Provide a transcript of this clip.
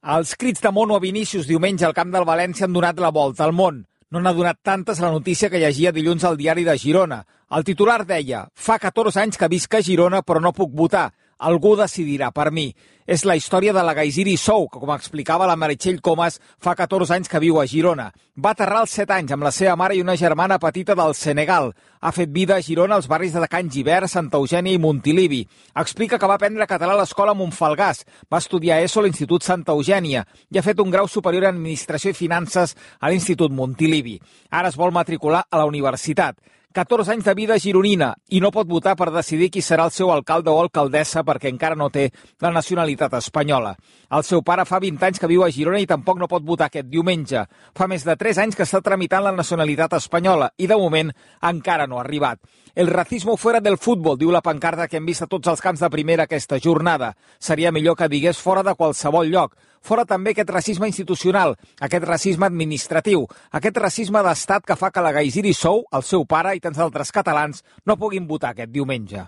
Els crits de mono a Vinícius diumenge al camp del València han donat la volta al món. No n'ha donat tantes la notícia que llegia dilluns al diari de Girona. El titular deia: fa 14 anys que visc a Girona però no puc votar. Algú decidirà per mi. És la història de la Gaiziri Sou, que, com explicava la Meritxell Comas, fa 14 anys que viu a Girona. Va aterrar als 7 anys amb la seva mare i una germana petita del Senegal. Ha fet vida a Girona als barris de Can Givert, Santa Eugènia i Montilivi. Explica que va aprendre català a l'escola Montfalgàs, va estudiar ESO a l'Institut Santa Eugènia i ha fet un grau superior en Administració i Finances a l'Institut Montilivi. Ara es vol matricular a la universitat. 14 anys de vida gironina i no pot votar per decidir qui serà el seu alcalde o alcaldessa perquè encara no té la nacionalitat espanyola. El seu pare fa 20 anys que viu a Girona i tampoc no pot votar aquest diumenge. Fa més de 3 anys que està tramitant la nacionalitat espanyola i de moment encara no ha arribat. El racismo fuera del fútbol, diu la pancarta que hem vist a tots els camps de primera aquesta jornada. Seria millor que digués fora de qualsevol lloc. Fora també aquest racisme institucional, aquest racisme administratiu, aquest racisme d'estat que fa que la Gaiziri Sou, el seu pare i tants altres catalans no puguin votar aquest diumenge.